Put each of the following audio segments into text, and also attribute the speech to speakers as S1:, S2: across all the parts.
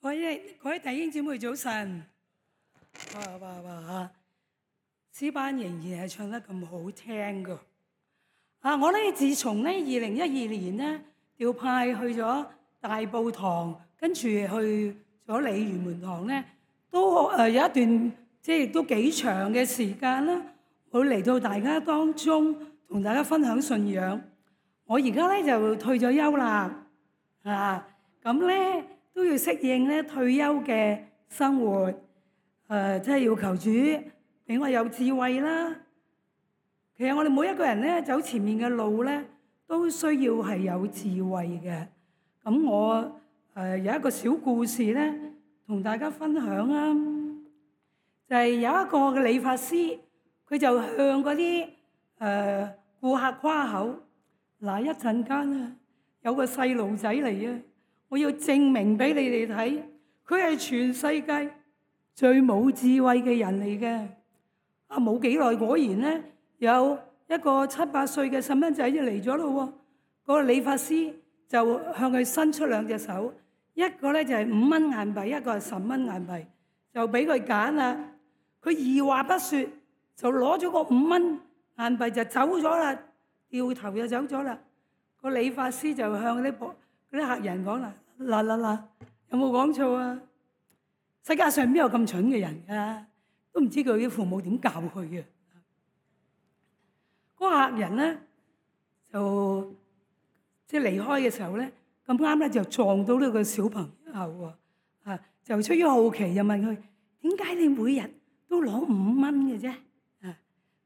S1: 各位弟兄姊妹早晨，哇！詩班仍然係唱得咁好聽噶。我咧自從咧2012年咧調派去咗大埔堂，跟住去咗鯉魚門堂咧，都有一段亦都幾長嘅時間啦，會嚟到大家當中同大家分享信仰。我而家咧就退咗休啦，咁咧都要適應咧退休嘅生活，即係要求主俾我有智慧啦。其實我哋每一個人咧走前面嘅路咧，都需要係有智慧嘅。咁我有一個小故事咧，同大家分享啊，就係有一個嘅理髮師，佢就向嗰啲顧客誇口。嗱，一陣間啊，有個細路仔嚟啊！我要證明俾你哋睇，佢係全世界最冇智慧嘅人嚟嘅。冇幾耐，果然咧有一個7、8歲嘅細蚊仔就嚟咗咯喎。嗰個理髮師就向佢伸出2隻手，一個咧就係5蚊硬幣，一個係10蚊硬幣，就俾佢揀啦。佢二話不說就攞咗個5蚊硬幣就走咗啦。掉頭就走咗啦。個理髮師就向嗰啲客人講啦：嗱，有冇講錯啊？世界上邊有咁蠢嘅人㗎？都唔知佢啲父母點教佢嘅。嗰個客人咧就離開嘅時候咧，咁啱咧就撞到呢個小朋友喎。就出於好奇就問佢：點解你每日都攞5蚊嘅啫？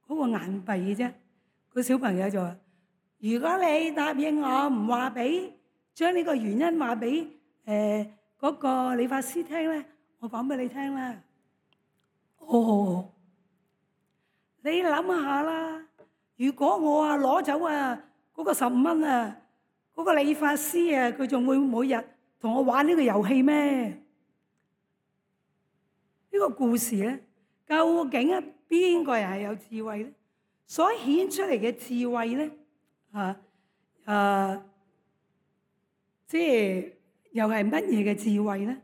S1: 嗰個硬幣嘅啫。個小朋友就話：如果你答應我唔話俾，將呢個原因話俾嗰個理髮師聽咧，我講俾你聽啦。你諗下啦，如果我攞走嗰個15蚊嗰個理髮師佢仲會每日同我玩呢個遊戲咩？呢個故事咧，究竟邊個人係有智慧咧？所顯出嚟嘅智慧咧，又係乜嘢嘅智慧咧？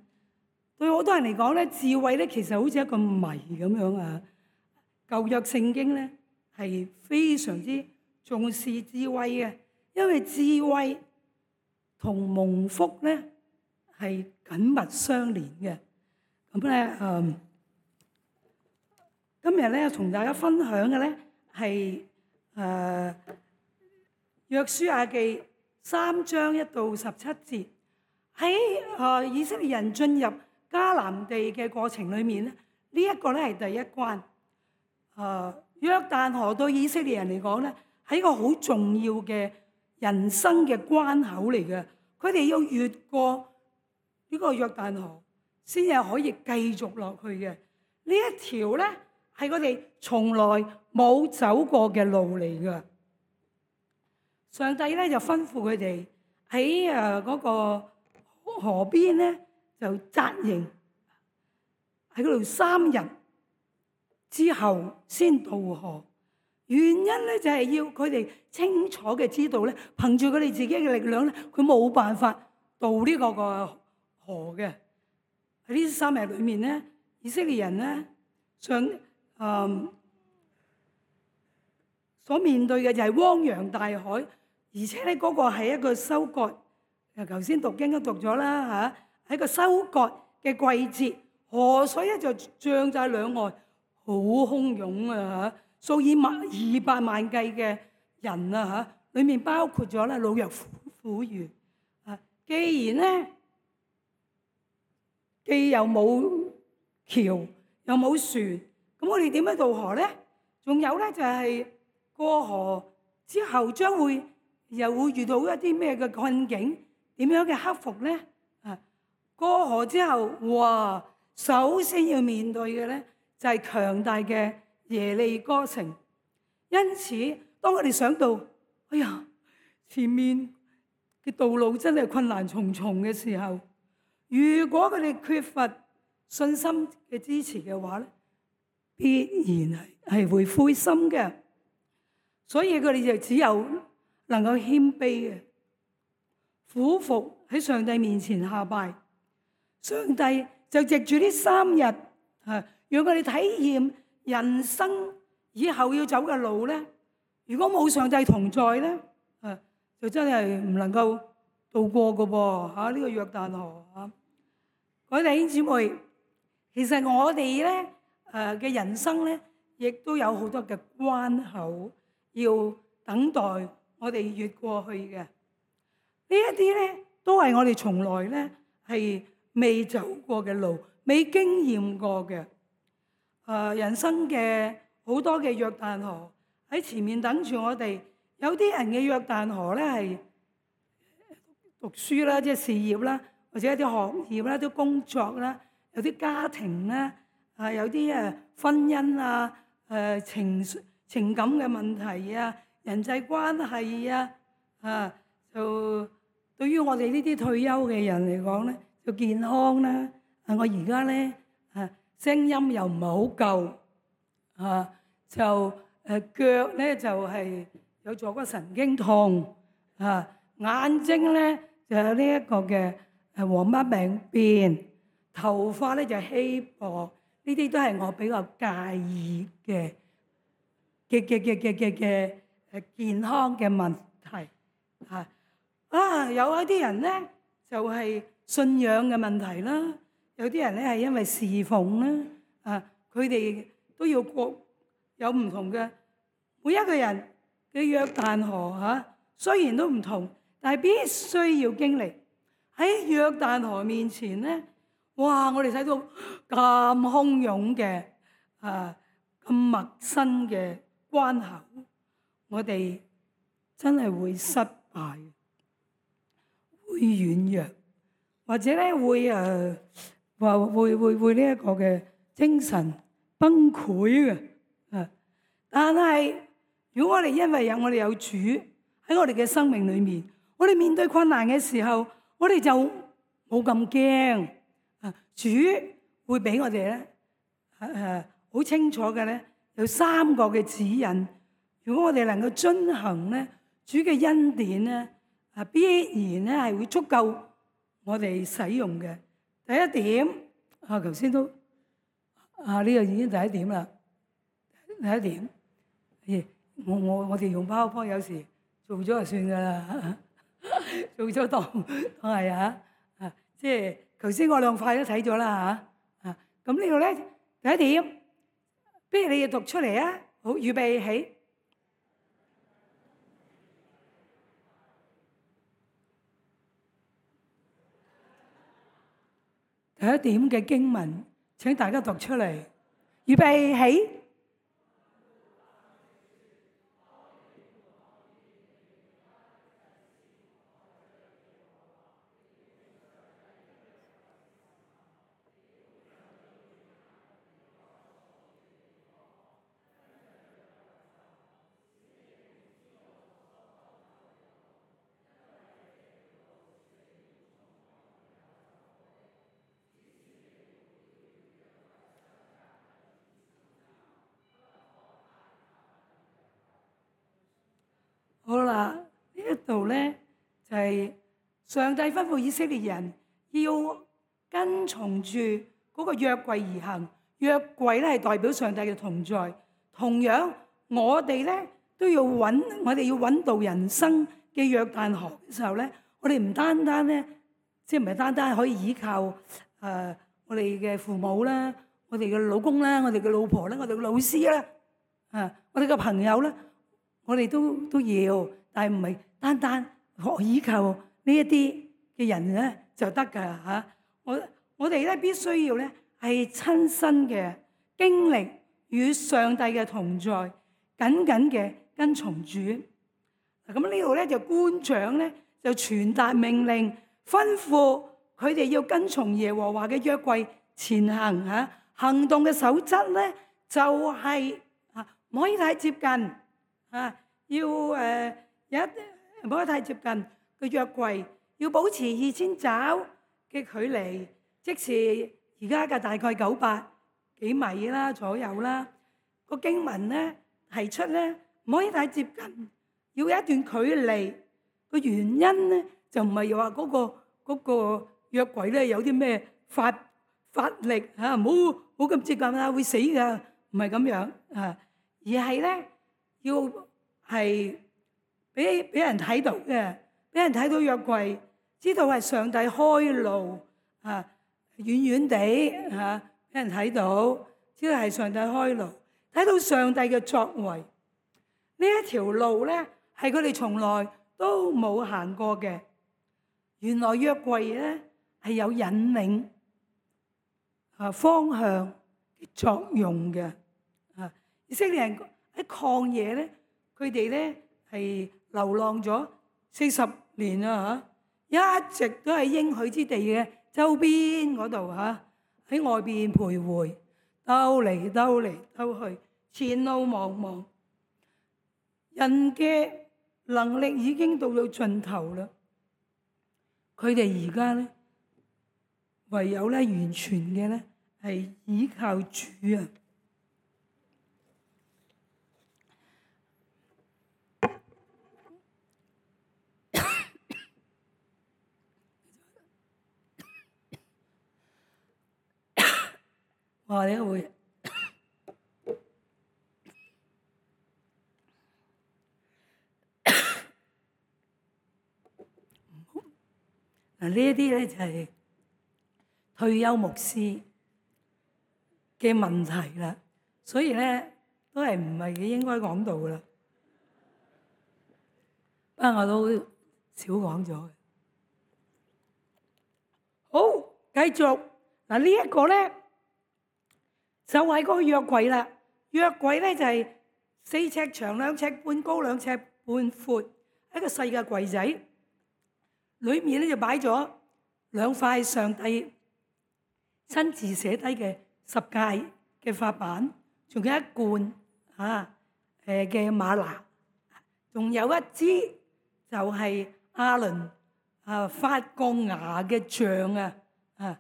S1: 對好多人嚟講咧，智慧咧其實好似一個謎咁樣啊。舊約聖經咧係非常之重視智慧嘅，因為智慧同蒙福咧係緊密相連嘅。咁咧，今日咧同大家分享嘅咧係約書亞記3章1到17節。喺以色列人進入迦南地嘅過程裏面咧，呢一個咧係第一關。約旦河對以色列人嚟講咧係一個好重要嘅人生嘅關口嚟嘅。佢哋要越過呢個約旦河，先至可以繼續落去嘅。呢一條咧係佢哋從來冇走過嘅路嚟嘅。上帝咧就吩咐佢哋喺嗰個河邊咧就紮營喺嗰度3日之後先渡河。原因咧就係要佢哋清楚嘅知道咧，憑住佢哋自己嘅力量咧，佢冇辦法渡呢個河嘅。喺呢3日裏面咧，以色列人咧所面對嘅就係汪洋大海，而且咧嗰個係一個收割。頭先讀經都讀咗啦嚇，喺個收割嘅季節，河水咧就漲晒兩岸，好洶湧啊嚇，數以200萬計嘅人啊嚇，裡面包括咗咧老弱婦孺啊。既然咧既又冇橋又冇船，咁我哋點樣渡河咧？仲有咧就係過河之後又會遇到一啲咩嘅困境？點樣嘅克服咧？過河之後，哇！首先要面對嘅咧就係強大嘅耶利哥城。因此，當我哋想到，哎呀，前面嘅道路真係困難重重嘅時候，如果佢哋缺乏信心嘅支持嘅話咧，必然係會灰心嘅。所以佢哋就只有能夠謙卑嘅。俯伏喺上帝面前下拜。上帝就藉住呢3日讓我哋體驗人生以後要走嘅路咧。如果冇上帝同在咧，就真係唔能夠渡過嘅噃呢個約旦河啊！各位弟兄姊妹，其實我哋咧嘅人生咧，亦都有好多嘅關口要等待我哋越過去嘅。呢一啲咧都係我哋從來咧係未走過嘅路，未經驗過嘅。人生嘅好多嘅約旦河喺前面等住我哋。有啲人嘅約旦河咧係讀書啦，即係事業啦，或者一啲學業啦，啲工作啦，有啲家庭啦，有啲婚姻啊，情感嘅問題啊，人際關係啊，就對於我哋呢啲退休嘅人嚟講咧，就健康啦。我而家咧聲音又唔係好夠就腳咧就係有坐骨神經痛眼睛咧就有呢一個嘅黃斑病變，頭髮咧就稀薄，呢啲都係我比較介意嘅健康嘅問題有一啲人咧就係信仰嘅問題啦，有啲人咧係因為侍奉啦佢哋都要過有唔同嘅，每一個人嘅約旦河雖然都唔同，但係必須要經歷喺約旦河面前咧。哇！我哋睇到咁洶湧嘅咁陌生嘅關口，我哋真係會失敗，會軟弱，或者咧會會呢一個嘅精神崩潰嘅但係如果我哋因為我哋有主喺我哋嘅生命裏面，我哋面對困難嘅時候，我哋就冇咁驚。主會俾我哋咧好清楚嘅咧，有3個嘅指引。如果我哋能夠遵行咧，主嘅恩典咧必然咧係會足夠我哋使用嘅。第一點頭先都呢個已經第一點啦。第一點我哋用PowerPoint有時做咗就算噶啦，做咗當係即係頭先我2塊都睇咗啦咁呢度咧第一點，不如你要讀出嚟啊！好，預備起。第一點嘅經文，請大家讀出嚟，預備起。好啦，呢一度咧就係上帝吩咐以色列人要跟從住嗰個約櫃而行。約櫃咧係代表上帝嘅同在。同樣我哋咧都要我哋要揾到人生嘅約旦河嘅時候咧，我哋唔單單咧，即係唔係單單可以依靠我哋嘅父母啦，我哋嘅老公啦，我哋嘅老婆啦，我哋嘅老師啦，我哋嘅朋友啦。我哋都要，但係唔係單單學依靠呢一啲嘅人咧就得㗎我哋咧必須要咧係親身嘅經歷與上帝嘅同在，緊緊嘅跟從主。咁呢度咧就官長咧就傳達命令，吩咐佢哋要跟從耶和華嘅約櫃前行行動嘅守則咧就係唔可以太接近。要有一唔可以太接近個約櫃，要保持2000肘嘅距離，即是而家嘅大概900幾米啦左右啦。個經文咧提出咧唔可以太接近，要有一段距離。個原因咧就唔係話嗰個約櫃咧有啲咩發力嚇，唔好咁接近啦，會死㗎，唔係咁樣啊，而係咧要係俾人睇到嘅，俾人睇到約櫃，知道係上帝開路啊，遠遠地嚇俾人睇到，知道係上帝開路，睇到上帝嘅作為。呢一條路咧係佢哋從來都冇行過嘅。原來約櫃咧係有引領方向嘅作用嘅。以色列人喺曠野咧，佢哋咧係流浪咗40年啦嚇，一直都喺應許之地嘅周邊嗰度嚇，喺外邊徘徊，兜嚟兜去，前路茫茫。人嘅能力已經到盡頭啦，佢哋而家咧唯有咧完全嘅咧係依靠主啊！哇！你會嗱，呢一啲咧就係退休牧師嘅問題啦，所以咧都係唔係應該講到噶啦，不過我都少講咗嘅。好，繼續嗱，呢一個咧就係嗰個約櫃啦。約櫃咧就係4尺長、2尺半高、2尺半闊，一個細嘅櫃仔。裏面咧就擺咗2塊上帝親自寫低嘅十誡嘅法版，仲有一罐嘅嗎哪，仲有一支就係亞倫發過芽嘅杖啊！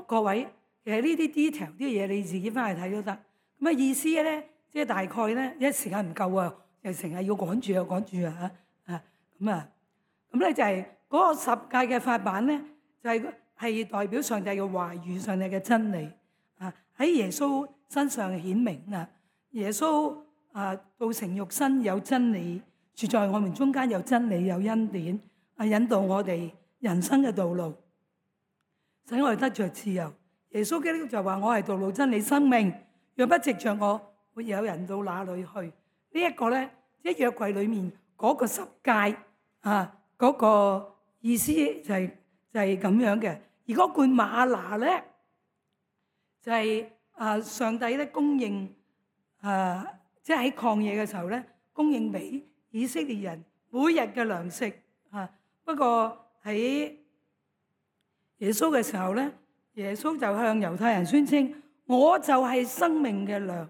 S1: 各位，其實呢啲 detail 啲嘢你自己翻去睇都得。咁意思咧，即係大概咧，一時間唔夠啊，又成日要趕住啊咁咧就係嗰個十誡嘅法版咧，就係代表上帝嘅話語、上帝嘅真理喺耶穌身上顯明啦。耶穌道成肉身有真理，住在我們中間有真理有恩典引導我哋人生嘅道路，使我哋得着自由。耶穌基督就話：我係道路、真理、生命，若不藉着我，沒有人到哪裏去。呢一個咧，即係約櫃裏面嗰個十誡嗰個意思就係咁樣嘅。而嗰罐嗎哪咧，就係上帝咧供應即係喺曠野嘅時候咧，供應俾以色列人每日嘅糧食不過喺耶穌嘅時候咧，耶穌就向猶太人宣稱：我就係生命嘅糧，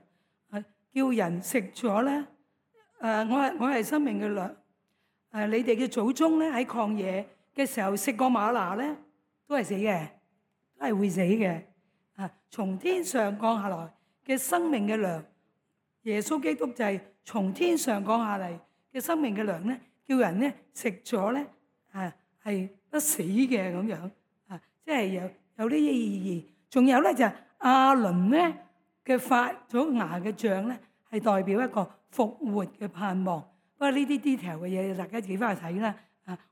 S1: 叫人食咗咧。我係生命嘅糧。你哋嘅祖宗咧喺曠野嘅時候食過嗎哪咧，都係死嘅，都係會死嘅。從天上降下來嘅生命嘅糧，耶穌基督就係從天上降下嚟嘅生命嘅糧咧，叫人咧食咗咧係不死嘅咁樣即係有呢啲意義。仲有咧就係亞倫咧嘅發咗芽嘅杖咧，係代表一個復活嘅盼望。不過呢啲 detail 嘅嘢，大家自己翻去睇啦。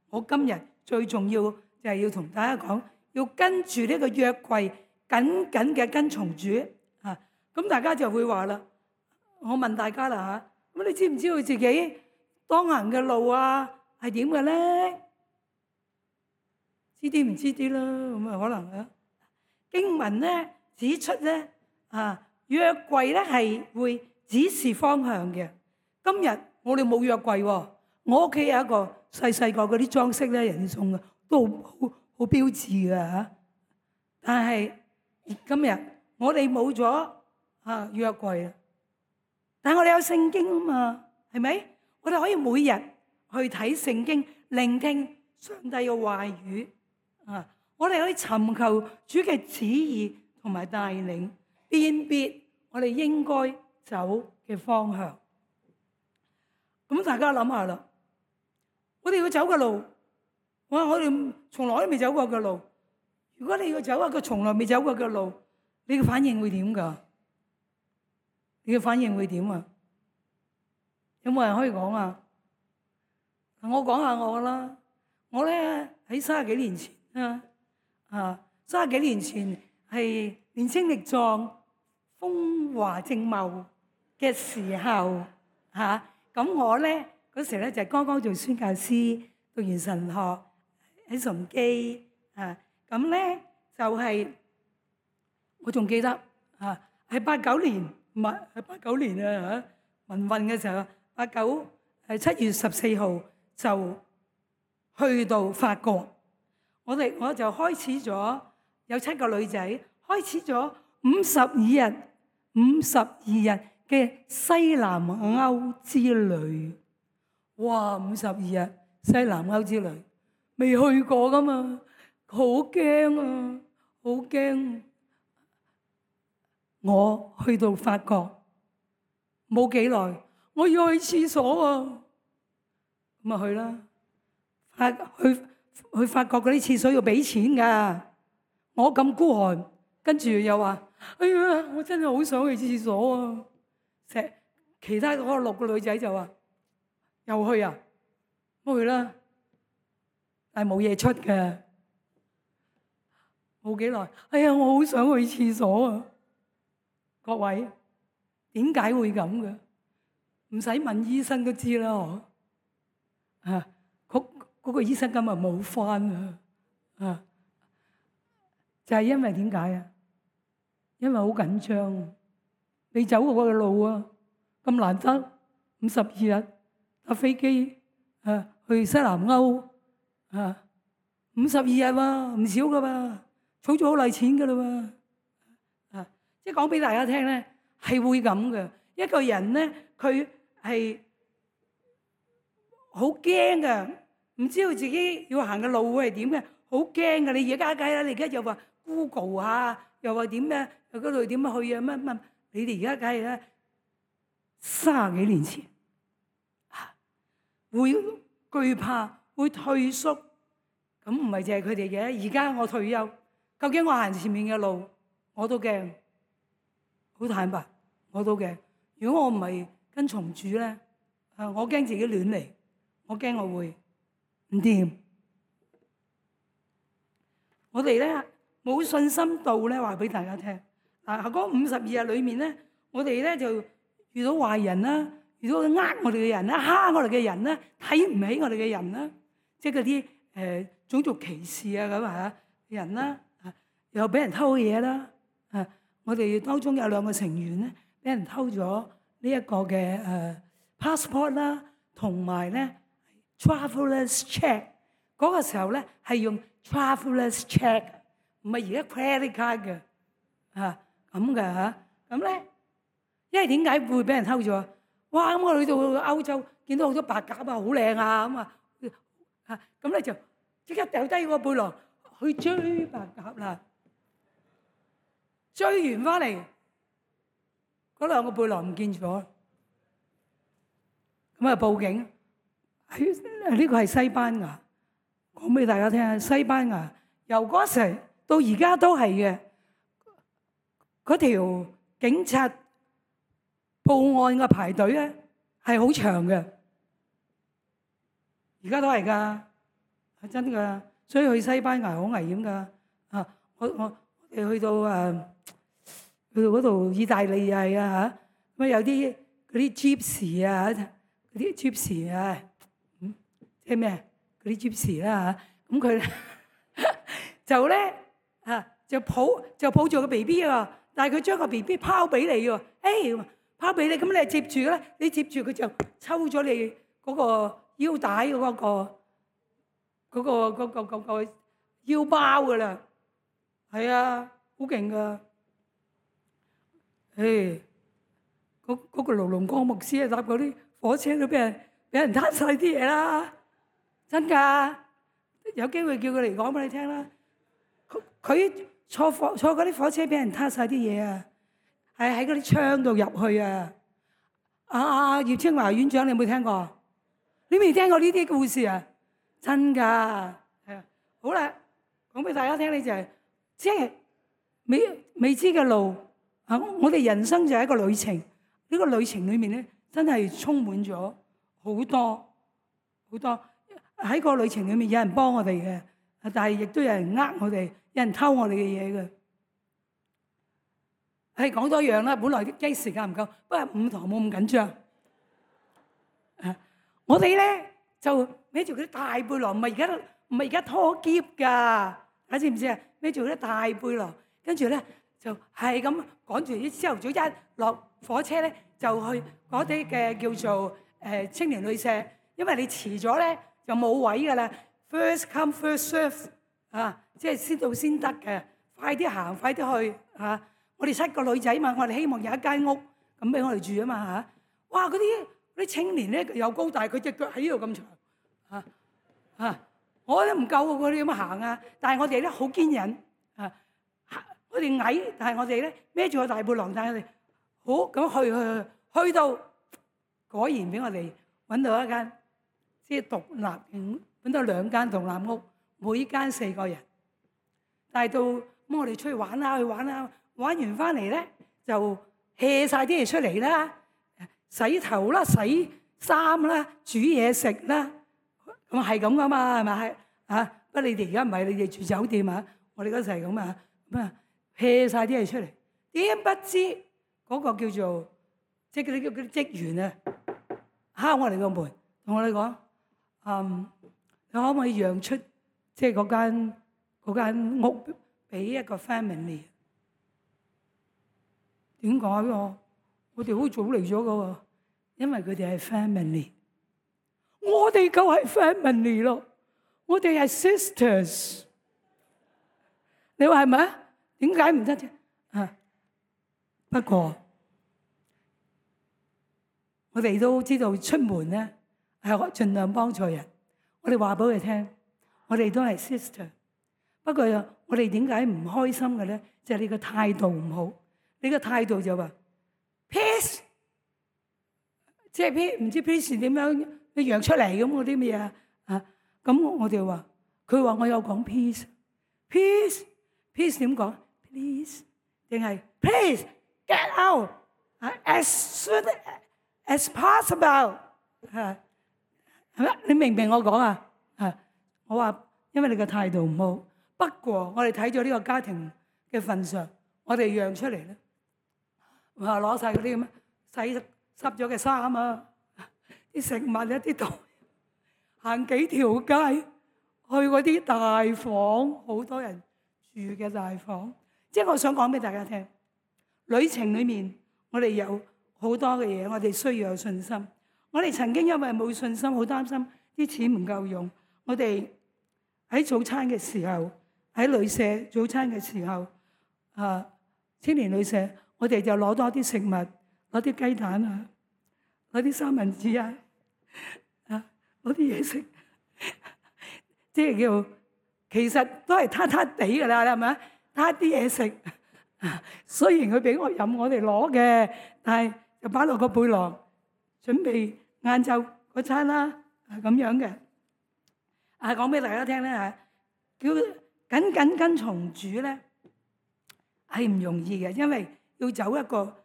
S1: 我今日最重要就係要同大家講，要跟住呢個約櫃緊緊嘅跟從主咁大家就會話啦，我問大家啦咁你知唔知道自己當行嘅路係點嘅咧？知啲唔知啲啦，咁可能經文咧指出咧約櫃咧係會指示方向嘅。今日我哋冇約櫃喎，我屋企有一個細個嗰啲裝飾咧，人哋送嘅都好標誌嘅但係今日我哋冇咗約櫃啦，但係我哋有聖經啊嘛，係咪？我哋可以每日去睇聖經，聆聽上帝嘅話語我哋可以尋求主嘅旨意同埋帶領，辨別我哋應該走嘅方向。咁大家諗下啦，我哋要走嘅路，我哋從來都未走過嘅路，如果你要走一個從來未走過嘅路，你嘅反應會點㗎？你嘅反應會點啊？有冇人可以講啊？我講下我啦。我咧喺30幾年前30幾年前係年青力壯、風華正茂嘅時候咁我咧嗰時咧就剛剛做宣教師，讀完神學喺崇基咁咧就係、我仲記得係89年，唔係89年民運嘅時候，89係7月14號就去到法國，我就開始咗有7個女仔，開始咗52日嘅西南歐之旅。哇！52日西南歐之旅，未去過噶嘛，好驚啊，好驚！我去到法國冇幾耐，我要去廁所啊，咁啊去啦。去法國嗰啲廁所要俾錢噶，我咁孤寒，跟住又話：哎呀，我真係好想去廁所啊！其他嗰6個女仔就話：又去啊，我去啦，但係冇嘢出嘅，冇幾耐。哎呀，我好想去廁所啊！各位，點解會咁嘅？唔使問醫生都知啦，嗰個醫生今日冇返就係因為點解啊？因為好緊張，你走過嘅路咁難得52日搭飛機去西南歐52日唔少噶噃，儲咗好耐錢噶啦喎即係講俾大家聽咧，係會咁嘅。一個人咧，佢係好驚嘅。唔知道自己要行嘅路會係點嘅，好驚㗎！你而家計啦，你而家又話 Google 又話點咩？嗰度點樣去啊？乜？你哋而家計啦，30幾年前會懼怕，會退縮，咁唔係淨係佢哋嘅。而家我退休，究竟我行前面嘅路，我都驚，好坦白，我都驚。如果我唔係跟從主咧，我驚自己亂嚟，我驚我會唔掂，我哋咧冇信心到咧，話俾大家聽。嗰52日裏面咧，我哋咧就遇到壞人啦，遇到我哋嘅人啦，蝦我哋嘅人啦，睇唔起我哋嘅人啦，即係嗰啲種族歧視咁人啦，又俾人偷嘢啦。我哋當中有2個成員咧，俾人偷咗呢一個嘅passport 啦，同埋咧。Travelers check 嗰個時候咧係用 Travelers check， 唔係而家 credit card 嘅咁嘅咁咧，因為點解會俾人偷咗？哇！咁我去到歐洲見到好多白鴿好靚咁咧就即刻掉低個背囊去追白鴿啦。追完翻嚟嗰2個背囊唔見咗，咁啊報警。呢個係西班牙，講俾大家聽。西班牙由嗰時到而家都係嘅，嗰條警察報案嘅排隊咧係好長嘅，而家都係㗎，係真㗎。所以去西班牙好危險㗎。我哋去到嗰度意大利又係咁有啲嗰啲 gypsy 嗰啲 gypsy即係咩？嗰啲 gypsy 啦咁佢就咧就抱住個 BB 但係佢將個 BB 拋俾你喎，拋俾你咁你接住啦，你接住佢就抽咗你嗰個腰帶嗰個腰包噶啦，係啊，好勁噶，嗰個盧龍光牧師搭嗰啲火車都俾人攤晒啲嘢啦。真㗎，有機會叫佢嚟講俾你聽啦。佢坐嗰啲火車俾人撻晒啲嘢係喺嗰啲窗度入去葉清華院長，你有冇聽過？你未聽過呢啲故事啊？真㗎，好啦，講俾大家聽咧就係即係未知嘅路啊！我哋人生就係一個旅程，呢個旅程裏面咧，真係充滿咗好多喺個旅程裏面，有人幫我哋嘅，但係亦都有人呃我哋，有人偷我哋嘅嘢嘅。係講多樣啦，本來啲時間唔夠，不過5堂冇咁緊張。我哋咧就孭住嗰啲大背囊，唔係而家拖篋㗎，大家知唔知啊？孭住嗰啲大背囊，跟住咧就係咁趕住啲朝頭早一落火車咧，就去嗰啲嘅叫做青年旅舍，因為你遲咗咧就冇位㗎啦。First come first serve 啊，即係先到先得嘅，快啲行，快啲去嚇。我哋7個女仔嘛，我哋希望有一間屋咁俾我哋住啊嘛嚇。哇！嗰啲青年咧又高大，佢隻腳喺呢度咁長我都唔夠喎，佢哋咁行啊！但係我哋咧好堅忍我哋矮，但係我哋咧孭住個大背囊，但係我哋好咁去到，果然俾我哋揾到一間即係獨立，揾到2間獨立屋，每間4個人。但係到咁我哋出去玩啦，玩完翻嚟咧就卸曬啲嘢出嚟啦，洗頭啦、洗衫啦、煮嘢食啦，咁係咁噶嘛，係咪不過你哋而家唔係，你哋住酒店啊，我哋嗰時係咁啊，咁啊卸曬啲嘢出嚟，點不知嗰個叫做即係嗰啲職員啊，敲我哋個門，同我哋講，你可唔可以讓出即係嗰間屋俾一個 family？點解喎？我哋好早嚟咗噶喎，因為佢哋係 family， 我哋就係 family 咯，我哋係 sisters。你話係咪啊？點解唔得啫？不過我哋都知道出門咧係盡量幫助人。我哋話俾佢聽，我哋都係 sister。不過我哋點解唔開心嘅咧？就係你個態度唔好。你個態度就話 peace， 即係 peace，唔知 peace 點樣你揚出嚟咁嗰啲咩啊？咁我哋話，佢話我有講 peace 點講 please 定係 please get out as soon as possible 係咪？你明唔明我講啊？我話因為你個態度唔好，不過我哋睇咗呢個家庭嘅份上，我哋讓出嚟咧。攞曬嗰啲咁洗濕咗嘅衫啊，啲食物一啲袋，行幾條街去嗰啲大房，好多人住嘅大房。即係我想講俾大家聽，旅程裏面我哋有好多嘅嘢，我哋需要有信心。我哋曾經因為冇信心，好擔心啲錢唔夠用。我哋喺早餐嘅時候，喺旅舍早餐嘅時候，青年旅舍。我哋就攞多啲食物，攞啲雞蛋啊，攞啲三文治啊，攞啲嘢食，即係叫其實都係攤攤地㗎啦，係咪？攤啲嘢食。雖然佢俾我飲，我哋攞嘅，但係就擺落個背囊，準備晏晝嗰餐啦，咁樣嘅。講俾大家聽咧嚇，叫緊跟從主咧係唔容易嘅，因為要走一個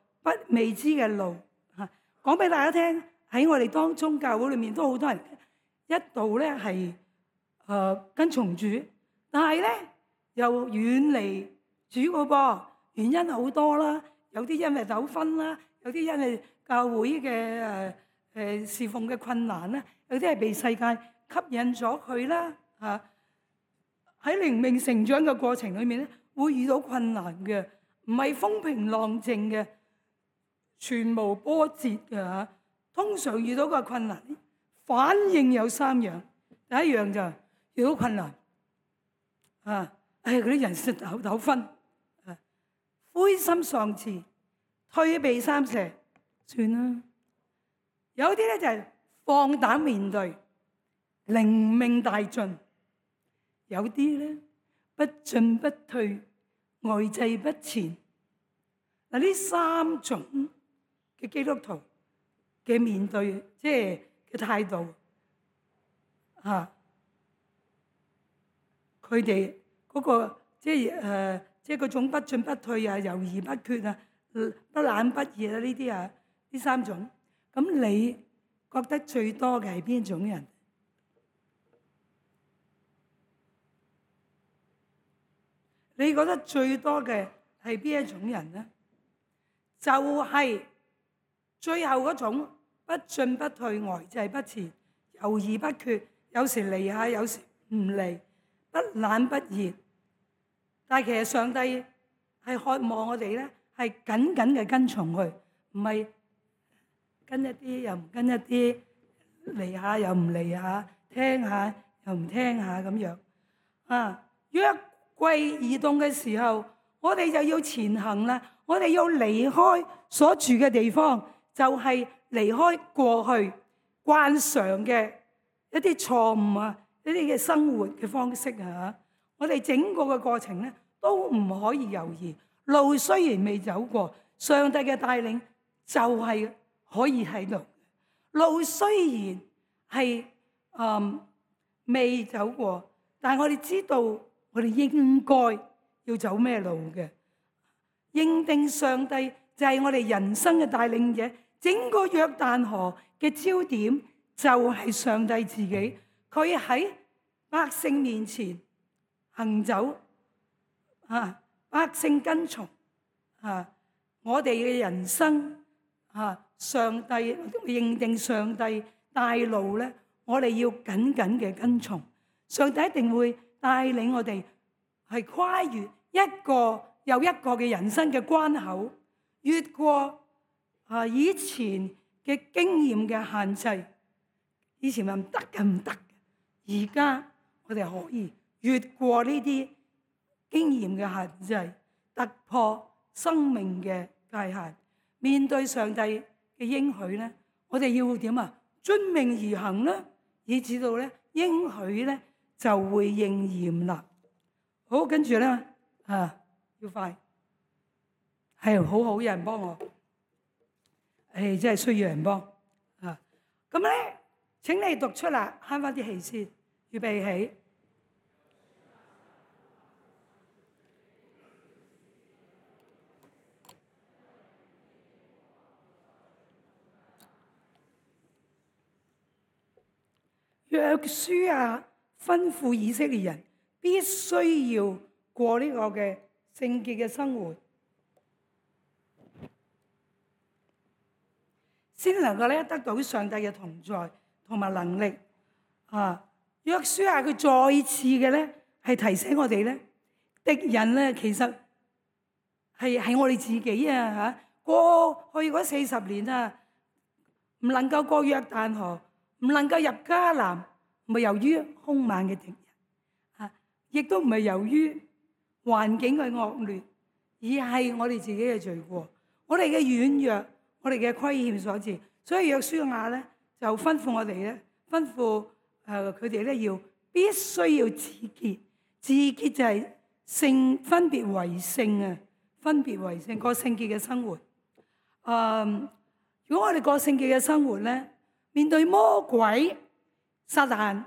S1: 未知嘅路嚇，講俾大家聽，喺我哋當中教會裏面都好多人一度咧係跟從主，但係咧又遠離主個噃，原因好多啦，有啲因為糾紛啦，有啲因為教會嘅侍奉嘅困難啦，有啲係被世界吸引咗佢啦嚇。喺靈命成長嘅過程裏面咧，會遇到困難嘅。唔係風平浪靜嘅，全無波折嘅嚇。通常遇到個困難，反應有3樣。第一樣就遇到困難，嗰啲人事糾紛，灰心喪志，退避三舍，算啦。有啲咧就係放膽面對，靈命大進；有啲咧不進不退，呆滯不前。嗱，呢3種嘅基督徒嘅面對，即係嘅態度，佢哋嗰個即係嗰種不進不退啊、猶豫不決啊、不冷不熱啊呢啲啊，呢三種。咁你覺得最多嘅係邊種人？你覺得最多嘅係邊一種人呢？就係最後嗰種不進不退、呆滯不前、猶豫不決，有時嚟下，有時唔嚟，不冷不熱。但係其實上帝係渴望我哋咧，係緊緊嘅跟從佢，唔係跟一啲又唔跟一啲，嚟下又唔嚟下，聽下又唔聽下咁樣。約櫃移動嘅時候，我哋就要前行啦。我哋要離開所住嘅地方，就係離開過去慣常嘅一啲錯誤啊，一啲嘅生活嘅方式啊。我哋整個嘅過程咧，都唔可以猶豫。路雖然未走過，上帝嘅帶領就係可以喺度。路雖然係未走過，但係我哋知道我哋應該要走咩路嘅。認定上帝就係我哋人生嘅帶領者，整個約旦河嘅焦點就係上帝自己。佢喺百姓面前行走，百姓跟從，我哋嘅人生，上帝認定上帝帶路咧，我哋要緊緊嘅跟從。上帝一定會帶領我哋係跨越一個又一個嘅人生嘅關口，越過以前嘅經驗嘅限制。以前話唔得嘅，唔得嘅，而家我哋可以越過呢啲經驗嘅限制，突破生命嘅界限，面對上帝嘅應許咧，我哋要點啊？遵命而行啦，以至到咧應許咧就會應驗啦。好，跟住咧要快，係好好，有人幫我，真係需要人幫啊！咁咧，請你讀出啦，慳翻啲氣先，預備起。約書亞吩咐以色列人必須要過呢個嘅聖潔嘅生活，先能夠咧得到上帝嘅同在同埋能力。約書亞佢再次嘅咧係提醒我哋咧，敵人咧其實係我哋自己啊！過去嗰40年啊，唔能夠過約旦河，唔能夠入迦南，唔係由於兇猛嘅敵人，亦都唔係由於環境嘅惡劣，而係我哋自己嘅罪過，我哋嘅軟弱，我哋嘅虧欠所致。所以約書亞咧就吩咐我哋咧，吩咐佢哋咧要必須要自潔，自潔就係分別為聖啊，分別為聖，過聖潔嘅生活。如果我哋過聖潔嘅生活咧，面對魔鬼、撒旦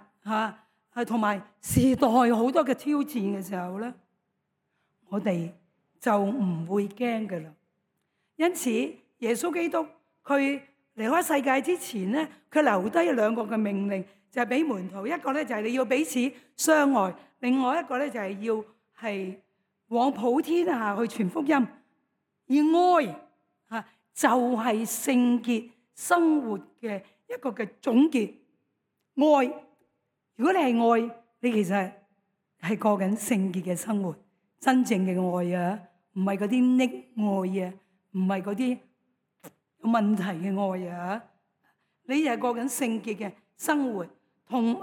S1: 同埋時代好多嘅挑戰嘅時候咧，我哋就唔會驚㗎啦。因此，耶穌基督佢離開世界之前咧，佢留低2個嘅命令，就係俾門徒。一個咧就係你要彼此相愛，另外一個咧就係要係往普天下去傳福音。而愛就係聖潔生活嘅一個嘅總結。愛，如果你係愛，你其實係過緊聖潔嘅生活，真正嘅愛啊，唔係嗰啲溺愛啊，唔係嗰啲有問題嘅愛啊。你就係過緊聖潔嘅生活，同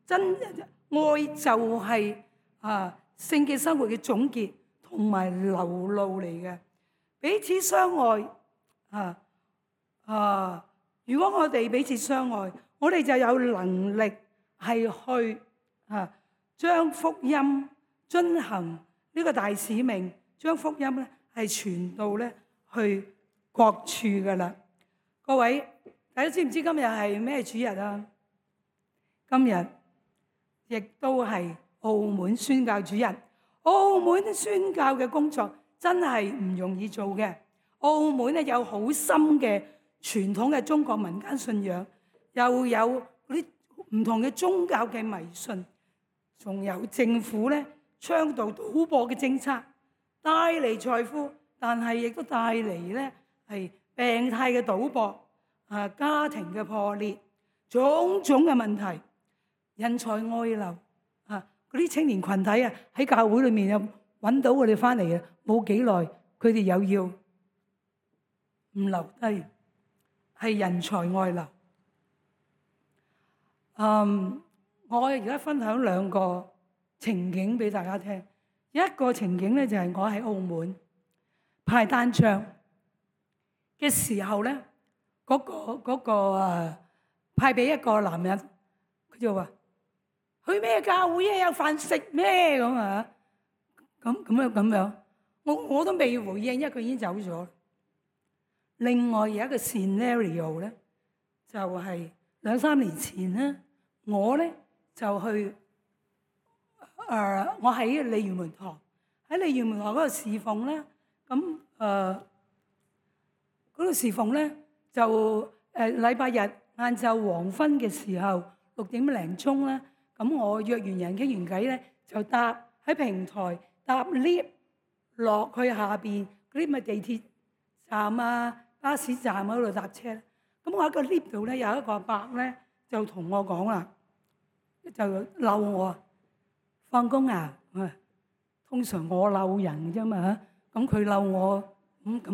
S1: 真愛就係聖潔生活嘅總結同埋流露嚟嘅。彼此相愛如果我哋彼此相愛，我哋就有能力係去將福音遵行呢個大使命，將福音咧係傳到咧去各處噶啦。各位，大家知唔知今日係咩主日啊？今日亦都係澳門宣教主日。澳門宣教嘅工作真係唔容易做嘅。澳門咧有好深嘅傳統嘅中國民間信仰，又有嗰啲唔同嘅宗教嘅迷信，仲有政府咧倡導賭博嘅政策，帶嚟財富，但係亦都帶嚟咧係病態嘅賭博，家庭嘅破裂，種種嘅問題，人才外流，嗰啲青年群體喺教會裏面又揾到我哋翻嚟嘅，冇幾耐佢哋又要唔留低，係人才外流。我而家分享兩個情景俾大家聽。一個情景咧就係我喺澳門派單張嘅時候咧，嗰個派俾一個男人，佢就話：去咩教會啊？有飯食咩咁啊？咁樣，我都未回應，因為佢已經走咗。另外有一個 scenario 咧，就係2-3年前咧，我咧就去我喺鯉魚門堂，喺鯉魚門堂嗰度侍奉咧，咁嗰度侍奉咧就禮拜日晏晝黃昏嘅時候6點零鐘咧，咁我約完人傾完偈咧，就喺平台搭 lift 落去下邊嗰啲咪地鐵站啊、巴士站嗰度搭車。咁我喺個 lift 度咧有一個阿伯咧就同我講啦，就嬲我。放工啊！通常我嬲人啫嘛，咁佢嬲我，咁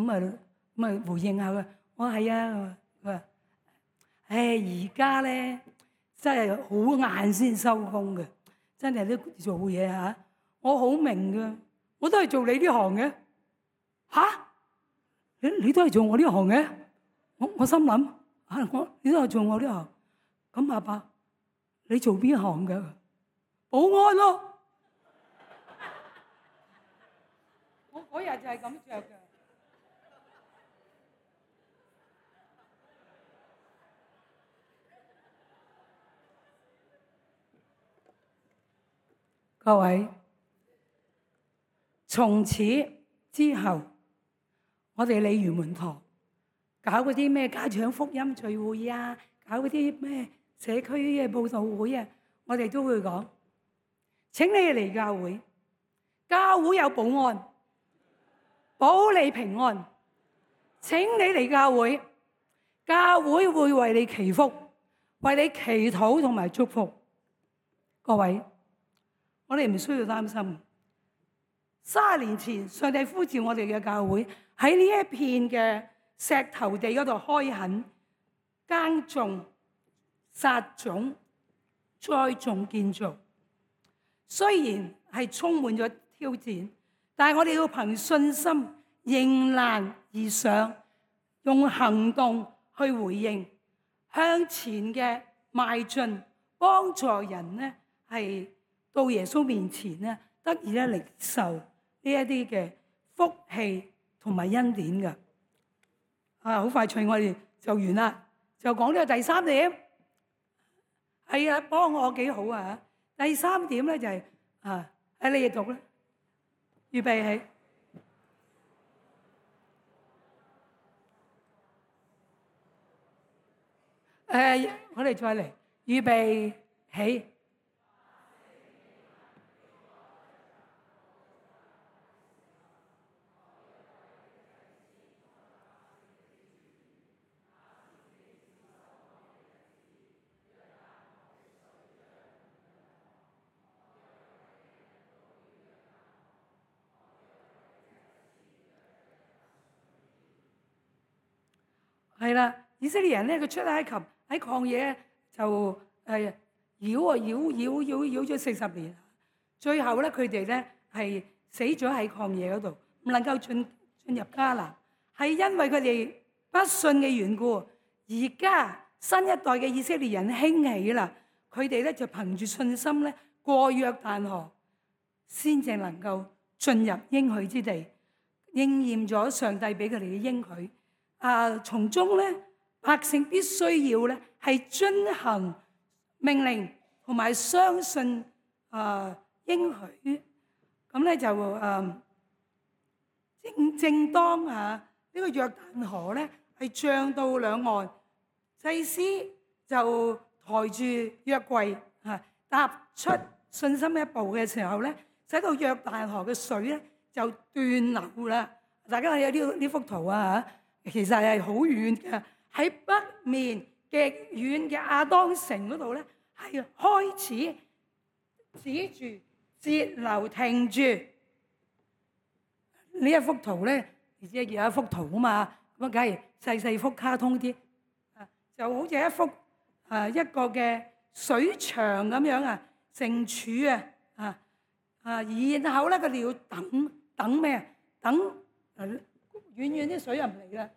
S1: 咪回應下佢。我係啊，佢話：而家咧真係好晏先收工嘅，真係都做嘢嚇。我好明㗎，我都係做你呢行嘅。嚇！你都係做我呢行嘅？我心諗你都係做我呢行。咁阿伯，你做邊行㗎？保安咯。我嗰日就係咁着嘅。各位，從此之後，我哋鯉魚門堂搞嗰啲咩家長福音聚會啊，搞嗰啲咩社區嘅佈道會啊，我哋都會講：請你嚟教會，教會有保安，保你平安。請你嚟教會，教會會為你祈福，為你祈禱同埋祝福。各位，我哋唔需要擔心。30年前，上帝呼召我哋嘅教會喺呢一片嘅石頭地嗰度開墾、耕種、撒種、栽種、建造。雖然係充滿咗挑戰，但係我哋要憑信心迎難而上，用行動去回應，向前嘅邁進，幫助人呢係到耶穌面前呢得以咧領受呢一啲嘅福氣同埋恩典嘅。好快脆，我哋就完啦，就講呢個第3點。係啊，幫我幾好啊！第3點咧就係喺你哋讀啦，預備起。我哋再嚟，預備起。係啦，以色列人咧，佢出埃及喺曠野就繞咗40年，最後咧佢哋咧係死咗喺曠野嗰度，唔能夠進入迦南，係因為佢哋不信嘅緣故。而家新一代嘅以色列人興起啦，佢哋咧就憑住信心咧過約旦河，先至能夠進入應許之地，應驗咗上帝俾佢哋嘅應許。從中咧，百姓必須要咧係遵行命令同埋相信應許。咁咧就正當呢個約旦河咧係漲到兩岸，祭司就抬住約櫃踏出信心一步嘅時候咧，使到約旦河嘅水咧就斷流啦。大家睇下呢幅圖其實係好遠嘅，喺北面極遠嘅亞當城嗰度咧，係開始止住節流停住。呢一幅圖咧，而且有一幅圖啊嘛，咁梗係細幅卡通啲，就好似一幅一個嘅水牆咁樣成柱然後咧佢哋要等咩？等遠遠啲水入唔嚟啦，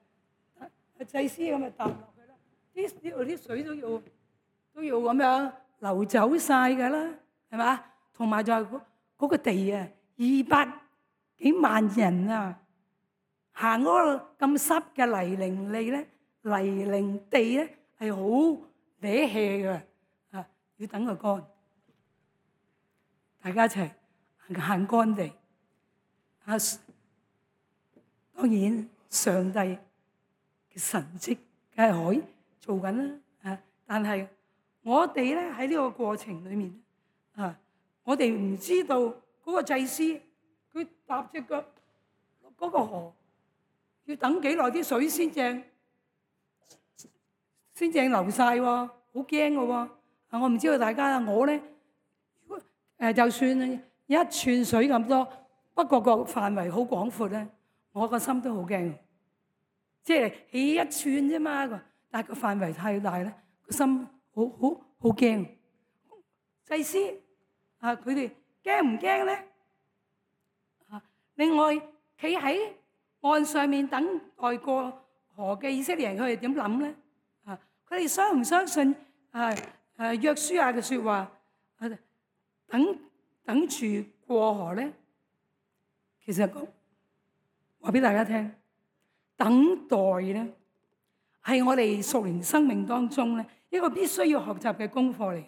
S1: 祭司咁就搭落去啦，呢度啲水都要咁樣流走晒㗎啦，係嘛？同埋就係嗰個地200幾萬人行嗰個咁濕嘅泥濘地咧係好瀝氣嘅要等佢乾，大家一齊行乾地當然上帝嘅神蹟梗係可以做緊啦但係我哋咧喺呢個過程裏面我哋唔知道嗰個祭司佢踏隻腳落嗰個河要等幾耐啲水先正流晒喎，好驚嘅喎我唔知道大家我咧就算一寸水咁多，不過個範圍好廣闊咧，我個心都好驚，即係起一寸啫嘛，但係個範圍太大咧，個心好驚。祭司佢哋驚唔驚咧？另外企喺岸上面等待過河嘅以色列人，佢哋點諗咧？佢哋相唔相信約書亞嘅説話？等住過河咧，其實話俾大家聽，等待咧係我哋屬靈生命當中咧一個必須要學習嘅功課嚟。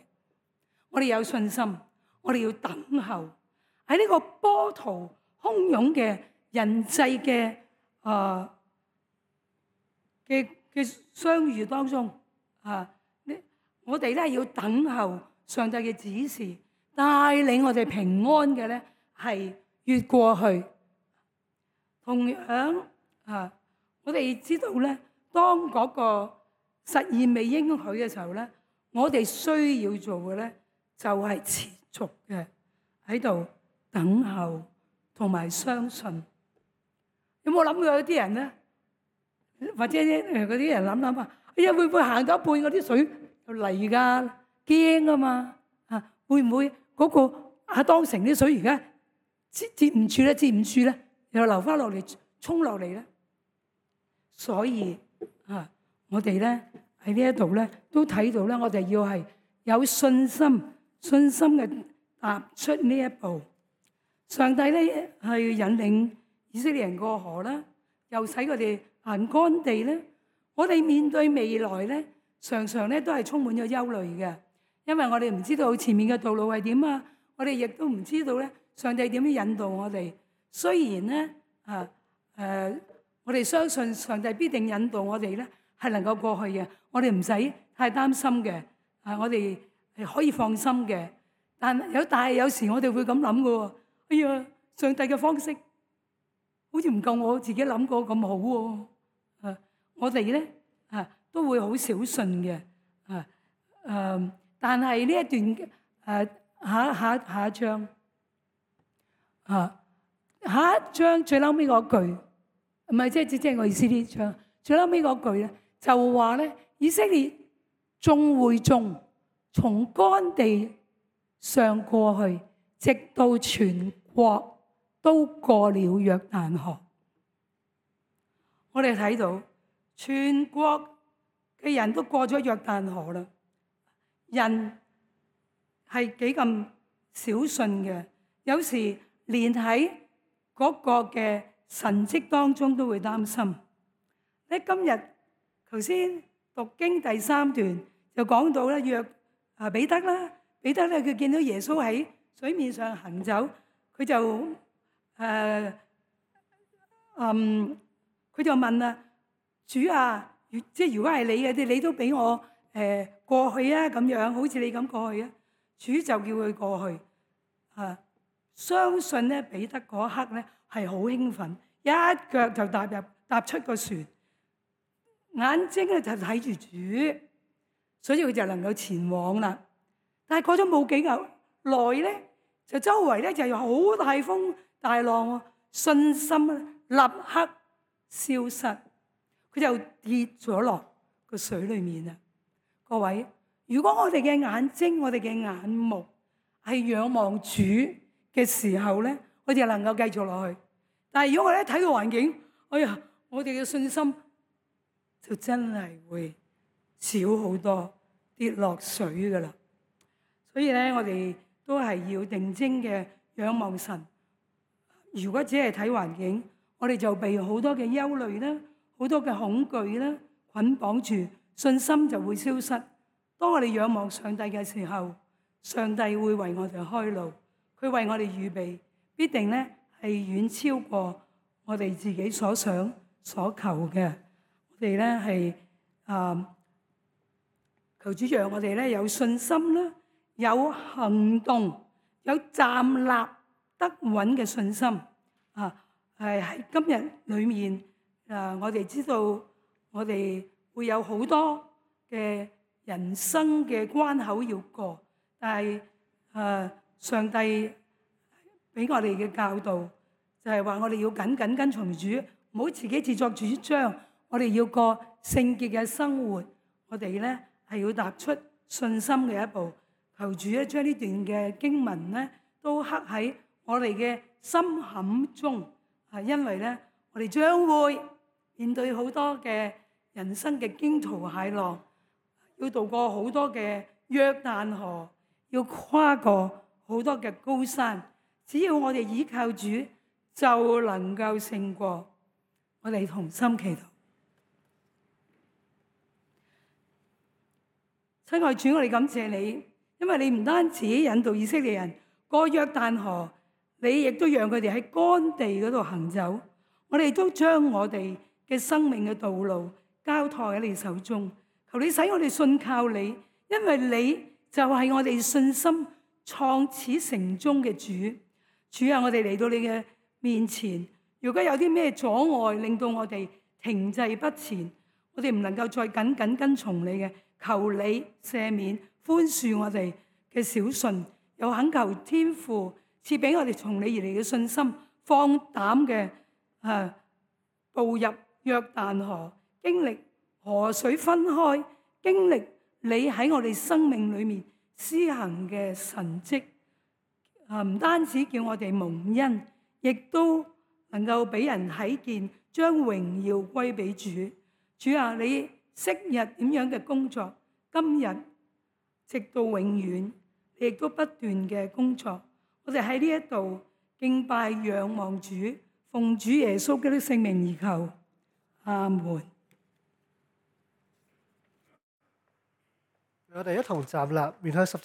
S1: 我哋有信心，我哋要等候喺呢個波濤洶湧嘅人際嘅相遇當中我哋咧要等候上帝嘅指示，帶領我哋平安嘅咧係越過去。同樣我哋知道咧，當嗰個實現未應許嘅時候咧，我哋需要做嘅咧就係持續嘅喺度等候同埋相信。有冇諗過有啲人咧，或者嗰啲人諗哎呀會唔會行到一半嗰啲水就嚟㗎？驚啊嘛會唔會嗰個亞當城啲水而家接唔住咧，又流翻落嚟衝落嚟咧？所以我哋咧喺呢一度咧都睇到咧，我哋要係有信心嘅踏出呢一步。上帝咧去引領以色列人過河啦，又使佢哋行乾地咧。我哋面對未來咧，常常咧都係充滿咗憂慮嘅，因為我哋唔知道前面嘅道路係點我哋亦都唔知道咧上帝點樣引導我哋。雖然咧我哋相信上帝必定引導我哋咧係能夠過去嘅，我哋唔使太擔心嘅我哋係可以放心嘅。但係有時我哋會咁諗嘅喎，哎呀，上帝嘅方式好似唔夠我自己諗過咁好喎。我哋咧都會好小信嘅但係呢一段下一章下一章最後尾嗰句，唔係即係我意思呢章最後尾嗰句咧，就話咧以色列眾會眾從乾地上過去，直到全國都過了約旦河。我哋睇到全國嘅人都過咗約旦河啦，人係幾咁小信嘅，有時連喺嗰個嘅神蹟當中都會擔心。你今日頭先讀經第3段就講到咧，彼得咧佢見到耶穌喺水面上行走，佢就佢就問啦：主啊，即係如果係你嘅，你都俾我過去啊，咁樣好似你咁過去啊。主就叫佢過去相信咧，彼得嗰一刻咧係好興奮，一腳就踏出個船，眼睛咧就睇住主，所以佢就能夠前往啦。但係過咗冇幾耐咧，就周圍咧就有好大風大浪喎，信心立刻消失，佢就跌咗落個水裏面啦。各位，如果我哋嘅眼睛、我哋嘅眼目係仰望主嘅時候咧，我哋能夠繼續落去。但係如果我哋睇到環境，哎呀，我哋嘅信心就真係會少好多，跌落水噶啦。所以咧，我哋都係要定睛嘅仰望神。如果只係睇環境，我哋就被好多嘅憂慮啦，好多嘅恐懼啦捆綁住，信心就會消失。當我哋仰望上帝嘅時候，上帝會為我哋開路，佢為我哋預備，必定咧係遠超過我哋自己所想所求嘅。我哋咧係求主讓我哋咧有信心啦，有行動，有站立得穩嘅信心喺今日裏面我哋知道我哋會有好多嘅人生嘅關口要過，但係上帝俾我哋嘅教導就係話我哋要緊緊跟從主，唔好自己自作主張。我哋要過聖潔嘅生活，我哋咧係要踏出信心嘅一步。求主咧將呢段嘅經文咧都刻喺我哋嘅心坎中，因為咧我哋將會面對好多嘅人生嘅驚濤駭浪，要渡過好多嘅約旦河，要跨過好多嘅高山。只要我哋依靠主，就能夠勝過。我哋同心祈禱。親愛主，我哋感謝你，因為你唔單止引導以色列人過約旦河，你亦都讓佢哋喺乾地嗰度行走。我哋都將我哋嘅生命嘅道路交託喺你手中，求你使我哋信靠你，因為你就係我哋信心創始成終嘅主。主啊，我哋嚟到你嘅面前，如果有啲咩阻礙令到我哋停滯不前，我哋唔能夠再緊緊跟從你嘅，求你赦免寬恕我哋嘅小信，又懇求天父賜俾我哋從你而嚟嘅信心，放膽嘅步入約旦河，經歷河水分開，經歷你喺我哋生命裏面施行嘅神蹟，唔單止叫我哋蒙恩，亦都能夠俾人睇見，將榮耀歸俾主。主啊，你昔日點樣嘅工作，今日直到永遠，你亦都不斷嘅工作。我哋喺呢一度敬拜仰望主，奉主耶穌基督聖名而求，阿門。
S2: 我哋一同站立，面向十字